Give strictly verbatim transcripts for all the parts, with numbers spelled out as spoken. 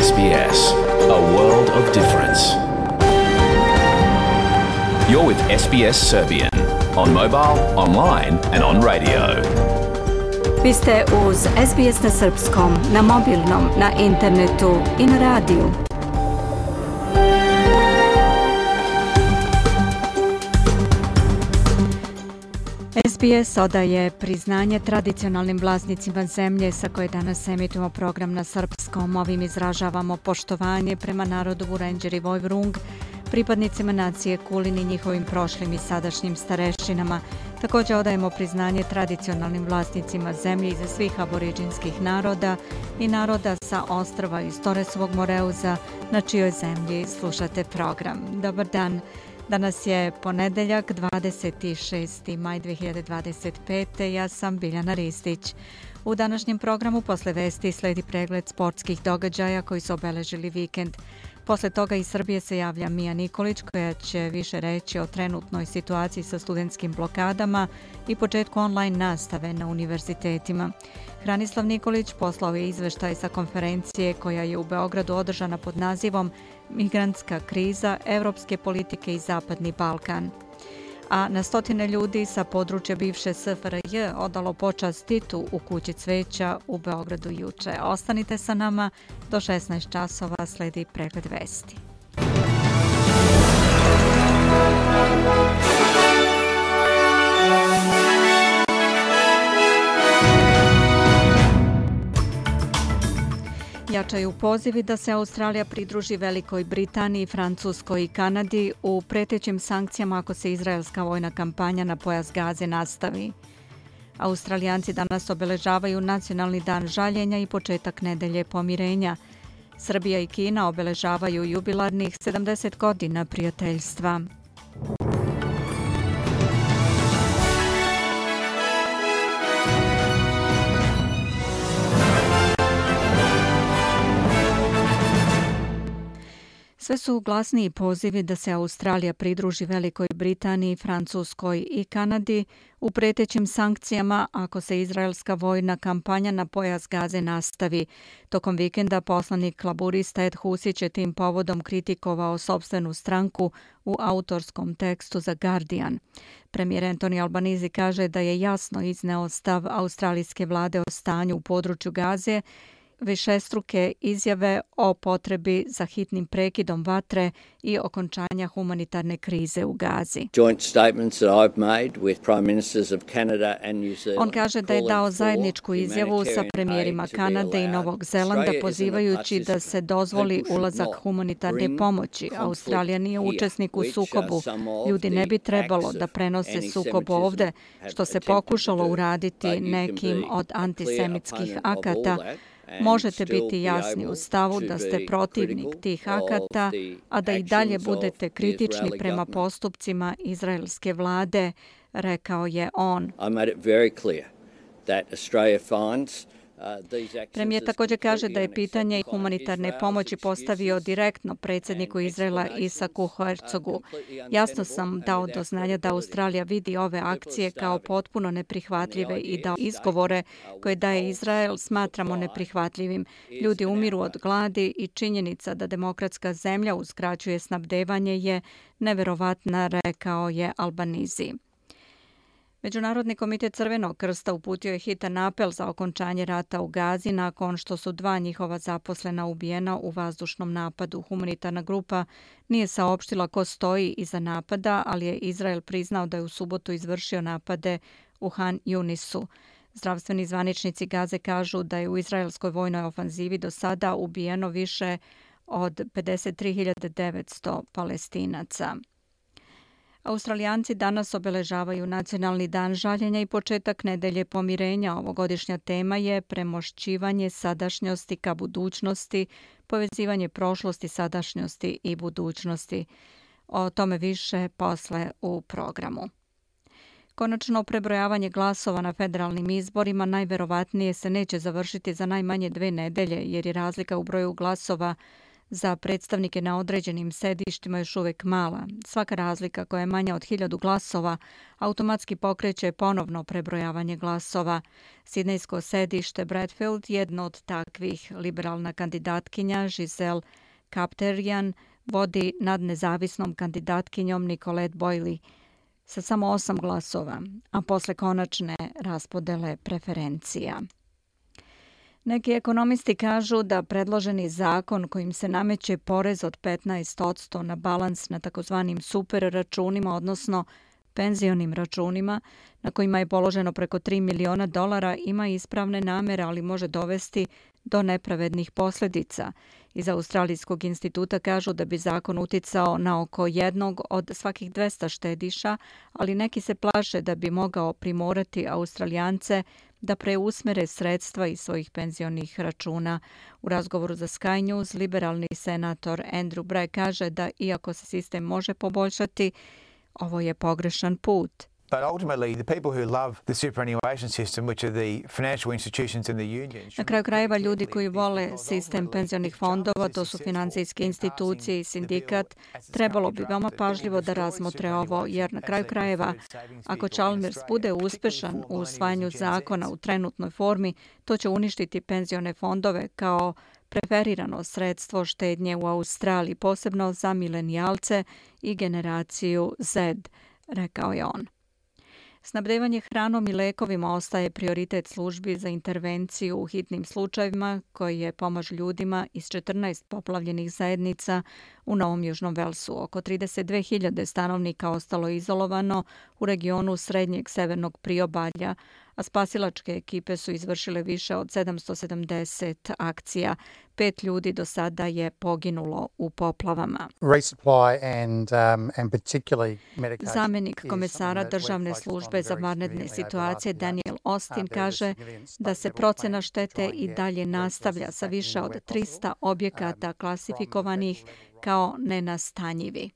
S B S, a world of difference. You're with S B S Serbian on mobile, online and on radio. Vi ste uz S B S na srpskom, na mobilnom, na internetu i na radiju. S B S odaje priznanje tradicionalnim vlasnicima zemlje sa koje danas emitujemo program na srpskom. Ovim izražavamo poštovanje prema narodu Vurenđer i Vojvrung, pripadnicima nacije Kulin i njihovim prošlim i sadašnjim starešinama. Također odajemo priznanje tradicionalnim vlasnicima zemlje iza svih aboriđinskih naroda i naroda sa ostrva iz Toresovog Moreuza, na čijoj zemlji slušate program. Dobar dan. Danas je ponedeljak, dvadeset šesti maj dve hiljade dvadeset pete. Ja sam Biljana Ristić. U današnjem programu posle vesti sledi pregled sportskih događaja koji su obeležili vikend. Posle toga iz Srbije se javlja Mija Nikolić koja će više reći o trenutnoj situaciji sa studentskim blokadama i početku online nastave na univerzitetima. Hranislav Nikolić poslao je izveštaj sa konferencije koja je u Beogradu održana pod nazivom Migrantska kriza, evropske politike i Zapadni Balkan. A na stotine ljudi sa područja bivše S F R J odalo počast Titu u kući cveća u Beogradu juče. Ostanite sa nama, do šesnaest časova sledi pregled vesti. Jačaju pozivi da se Australija pridruži Velikoj Britaniji, Francuskoj i Kanadi u pretećim sankcijama ako se izraelska vojna kampanja na pojas Gaze nastavi. Australijanci danas obeležavaju Nacionalni dan žaljenja i početak nedelje pomirenja. Srbija i Kina obeležavaju jubilarnih sedamdeset godina prijateljstva. Sve su glasniji pozivi da se Australija pridruži Velikoj Britaniji, Francuskoj i Kanadi u pretećim sankcijama ako se izraelska vojna kampanja na pojas Gaze nastavi. Tokom vikenda poslanik laburista Ed Husić je tim povodom kritikovao sopstvenu stranku u autorskom tekstu za Guardian. Premijer Anthony Albanese kaže da je jasno izneo stav australijske vlade o stanju u području Gaze, višestruke izjave o potrebi za hitnim prekidom vatre i okončanja humanitarne krize u Gazi. On kaže da je dao zajedničku izjavu sa premijerima Kanade i Novog Zelanda pozivajući da se dozvoli ulazak humanitarne pomoći. Australija nije učesnik u sukobu. Ljudi ne bi trebalo da prenose sukob ovde, što se pokušalo uraditi nekim od antisemitskih akata. Možete biti jasni u stavu da ste protivnik tih akata, a da i dalje budete kritični prema postupcima izraelske vlade, rekao je on. Premijer također kaže da je pitanje humanitarne pomoći postavio direktno predsjedniku Izraela Isaku Herzogu. Jasno sam dao do znanja da Australija vidi ove akcije kao potpuno neprihvatljive i da izgovore koje daje Izrael smatramo neprihvatljivim. Ljudi umiru od gladi i činjenica da demokratska zemlja uskraćuje snabdevanje je neverovatna, rekao je Albanese. Međunarodni komitet Crvenog krsta uputio je hitan apel za okončanje rata u Gazi nakon što su dva njihova zaposlena ubijena u vazdušnom napadu. Humanitarna grupa nije saopštila ko stoji iza napada, ali je Izrael priznao da je u subotu izvršio napade u Han Yunisu. Zdravstveni zvaničnici Gaze kažu da je u izraelskoj vojnoj ofanzivi do sada ubijeno više od pedeset tri hiljade devetsto Palestinaca. Australijanci danas obeležavaju Nacionalni dan žaljenja i početak nedelje pomirenja. Ovogodišnja tema je premošćivanje sadašnjosti ka budućnosti, povezivanje prošlosti, sadašnjosti i budućnosti. O tome više posle u programu. Konačno prebrojavanje glasova na federalnim izborima najverovatnije se neće završiti za najmanje dve nedelje, jer je razlika u broju glasova za predstavnike na određenim sedištima još uvijek mala. Svaka razlika koja je manja od hiljadu glasova automatski pokreće ponovno prebrojavanje glasova. Sidnejsko sedište Bradfield, jedno od takvih, liberalna kandidatkinja Giselle Kapterjan vodi nad nezavisnom kandidatkinjom Nicolette Boyle sa samo osam glasova, a posle konačne raspodele preferencija. Neki ekonomisti kažu da predloženi zakon kojim se nameće porez od petnaest posto na balans na takozvanim super računima, odnosno penzionim računima, na kojima je položeno preko tri miliona dolara, ima ispravne namere, ali može dovesti do nepravednih posljedica. Iz Australijskog instituta kažu da bi zakon uticao na oko jednog od svakih dvesta štediša, ali neki se plaše da bi mogao primorati Australijance da preusmere sredstva iz svojih penzionih računa. U razgovoru za Sky News, liberalni senator Andrew Bragg kaže da iako se sistem može poboljšati, ovo je pogrešan put. But ultimately, the people who love the superannuation system, which are the financial institutions and the unions. Na kraju krajeva, ljudi koji vole sistem penzionih fondova, to su financijske institucije i sindikat, trebalo bi veoma pažljivo da razmotre ovo, jer na kraju krajeva, ako Chalmers bude uspešan u usvajanju zakona u trenutnoj formi, to će uništiti penzione fondove kao preferirano sredstvo štednje u Australiji, posebno za milenijalce i generaciju Z, rekao je on. Snabdevanje hranom i lekovima ostaje prioritet službi za intervenciju u hitnim slučajevima koje pomažu ljudima iz četrnaest poplavljenih zajednica u Novom Južnom Velsu. Oko trideset dve hiljade stanovnika ostalo izolovano u regionu srednjeg severnog priobalja, a spasilačke ekipe su izvršile više od sedamsto sedamdeset akcija. Pet ljudi do sada je poginulo u poplavama. Zamjenik komesara državne službe za vanredne situacije Daniel Austin kaže da se procena štete i dalje nastavlja sa više od trista objekata klasifikovanih kao nenastanjivi.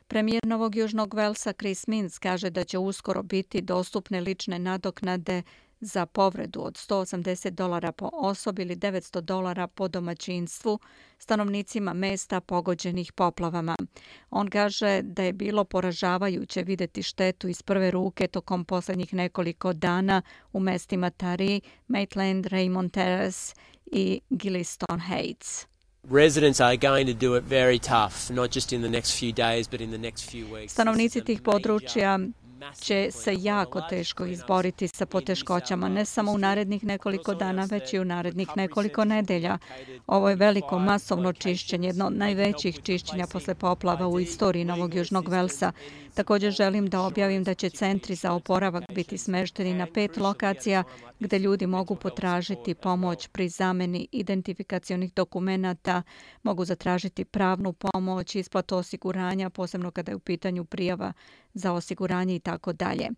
Premijer Novog Južnog Velsa Chris Minns kaže da će uskoro biti dostupne lične nadoknade za povredu od sto osamdeset dolara po osobi ili devetsto dolara po domaćinstvu stanovnicima mesta pogođenih poplavama. On kaže da je bilo poražavajuće vidjeti štetu iz prve ruke tokom posljednjih nekoliko dana u mestima Taree, Maitland, Raymond Terrace i Gilliston Heights. Residents are going to do it very tough, not just in the next few days, but in the next few weeks. Stanovnici tih područja će se jako teško izboriti sa poteškoćama, ne samo u narednih nekoliko dana, već i u narednih nekoliko nedelja. Ovo je veliko masovno čišćenje, jedno od najvećih čišćenja posle poplava u istoriji Novog Južnog Velsa. Također želim da objavim da će centri za oporavak biti smešteni na pet lokacija gdje ljudi mogu potražiti pomoć pri zameni identifikacionih dokumenata, mogu zatražiti pravnu pomoć, isplatu osiguranja, posebno kada je u pitanju prijava za osiguranje i tako dalje.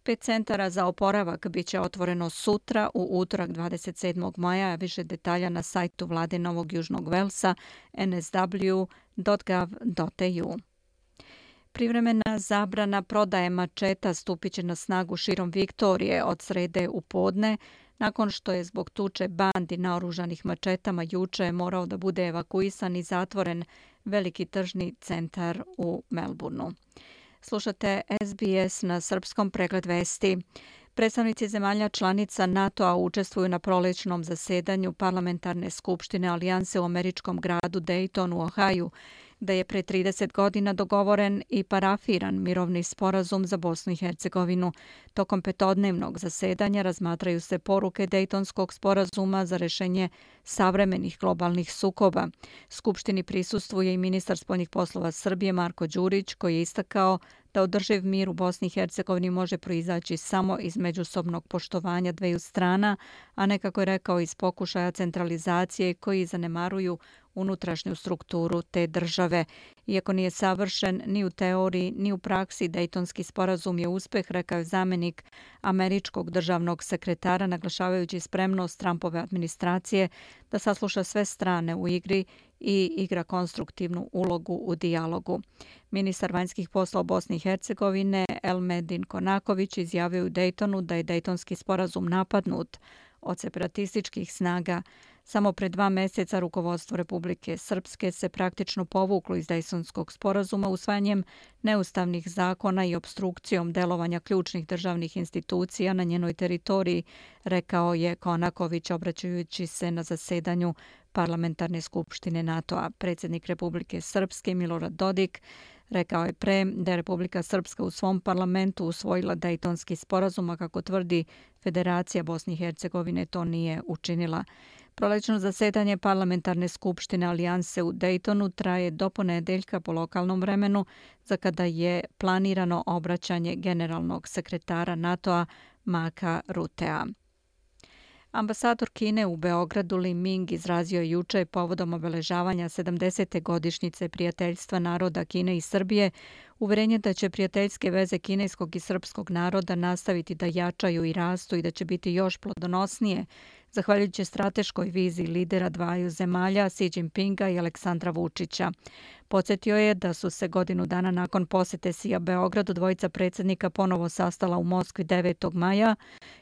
Pet centara za oporavak bit će otvoreno sutra u utorak dvadeset sedmog maja, a više detalja na sajtu vlade Novog Južnog Velsa en es dabulju dot gov dot e u. Privremena zabrana prodaje mačeta stupit će na snagu širom Viktorije od srede u podne, nakon što je zbog tuče bandi naoružanih mačetama juče morao da bude evakuisan i zatvoren veliki tržni centar u Melbourneu. Slušate es be es na srpskom, pregled vesti. Predstavnici zemalja članica NATO-a učestvuju na prolećnom zasedanju parlamentarne skupštine Alijanse u američkom gradu Dayton u Ohaju, gde je pre trideset godina dogovoren i parafiran mirovni sporazum za Bosnu i Hercegovinu. Tokom petodnevnog zasedanja razmatraju se poruke Dejtonskog sporazuma za rešenje savremenih globalnih sukoba. Skupštini prisustvuje i ministar spoljnih poslova Srbije Marko Đurić, koji je istakao da održiv mir u Bosni i Hercegovini može proizaći samo iz međusobnog poštovanja dveju strana, a ne, kako je rekao, iz pokušaja centralizacije koji zanemaruju unutrašnju strukturu te države. Iako nije savršen ni u teoriji ni u praksi, Dejtonski sporazum je uspeh, rekao je zamjenik američkog državnog sekretara, naglašavajući spremnost Trumpove administracije da sasluša sve strane u igri i igra konstruktivnu ulogu u dijalogu. Ministar vanjskih poslova Bosne i Hercegovine Elmedin Konaković izjavio u Dejtonu da je Dejtonski sporazum napadnut od separatističkih snaga Samo pre dva mjeseca rukovodstvo Republike Srpske se praktično povuklo iz Dejtonskog sporazuma usvajanjem neustavnih zakona i opstrukcijom delovanja ključnih državnih institucija na njenoj teritoriji, rekao je Konaković obraćajući se na zasedanju Parlamentarne skupštine NATO-a. Predsjednik Republike Srpske Milorad Dodik rekao je pre da je Republika Srpska u svom parlamentu usvojila Dejtonski sporazum, a kako tvrdi Federacija Bosne i Hercegovine to nije učinila. Prolećno zasedanje Parlamentarne skupštine Alijanse u Dejtonu traje do ponedeljka po lokalnom vremenu, za kada je planirano obraćanje generalnog sekretara NATO-a Marka Rutea. Ambasador Kine u Beogradu Li Ming izrazio je juče povodom obeležavanja sedamdesete godišnjice prijateljstva naroda Kine i Srbije uverenje da će prijateljske veze kineskog i srpskog naroda nastaviti da jačaju i rastu i da će biti još plodonosnije, zahvaljujući strateškoj viziji lidera dvaju zemalja Xi Jinpinga i Aleksandra Vučića. Podsjetio je da su se godinu dana nakon posete Xija Beogradu dvojica predsjednika ponovo sastala u Moskvi devetog maja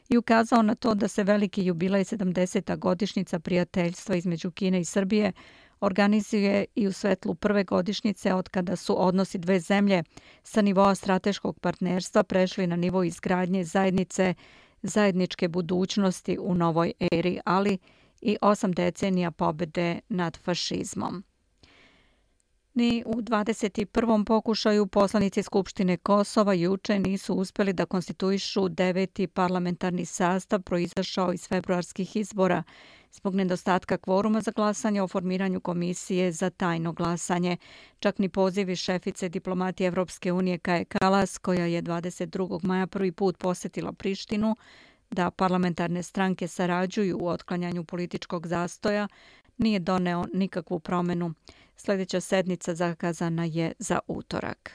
i ukazao na to da se veliki jubilej sedamdeseta godišnjica prijateljstva između Kine i Srbije organizuje i u svetlu prve godišnjice od kada su odnosi dve zemlje sa nivoa strateškog partnerstva prešli na nivo izgradnje zajednice zajedničke budućnosti u novoj eri, ali i osam decenija pobjede nad fašizmom. Ni u dvadeset prvom pokušaju poslanici Skupštine Kosova juče nisu uspjeli da konstituišu deveti parlamentarni sastav proizašao iz februarskih izbora zbog nedostatka kvoruma za glasanje o formiranju komisije za tajno glasanje. Čak ni pozivi šefice diplomatije Evropske unije Kaje Kalas, koja je dvadeset drugog maja prvi put posjetila Prištinu, da parlamentarne stranke sarađuju u otklanjanju političkog zastoja, nije doneo nikakvu promjenu. Sljedeća sednica zakazana je za utorak.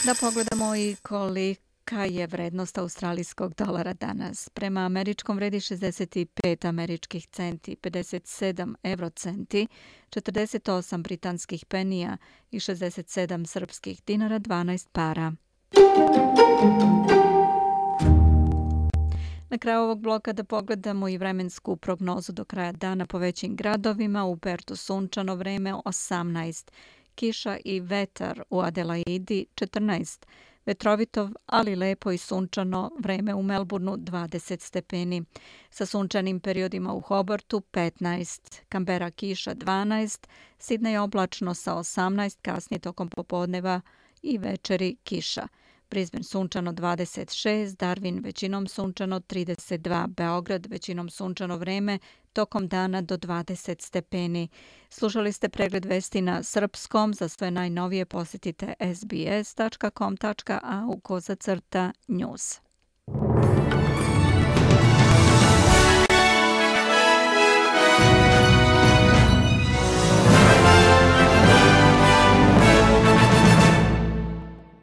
Da pogledamo i kolika je vrednost australijskog dolara danas. Prema američkom vredi šezdeset pet američkih centi, pedeset sedam eurocenti, četrdeset osam britanskih penija i šezdeset sedam srpskih dinara, dvanaest para. Na kraju ovog bloka da pogledamo i vremensku prognozu do kraja dana po većim gradovima. U Pertu sunčano vreme osamnaest, kiša i vetar u Adelaidi četrnaest, vetrovito, ali lepo i sunčano vreme u Melbourneu dvadeset stepeni. Sa sunčanim periodima u Hobartu petnaest, Kambera kiša dvanaest, Sidnej oblačno sa osamnaest, kasnije tokom popodneva i večeri kiša. Brisbane sunčano dvadeset šest, Darwin većinom sunčano trideset dva, Beograd većinom sunčano vreme, tokom dana do dvadeset stepeni. Slušali ste pregled vesti na srpskom. Za sve najnovije posjetite s b s tačka com tačka a u kozacrta news.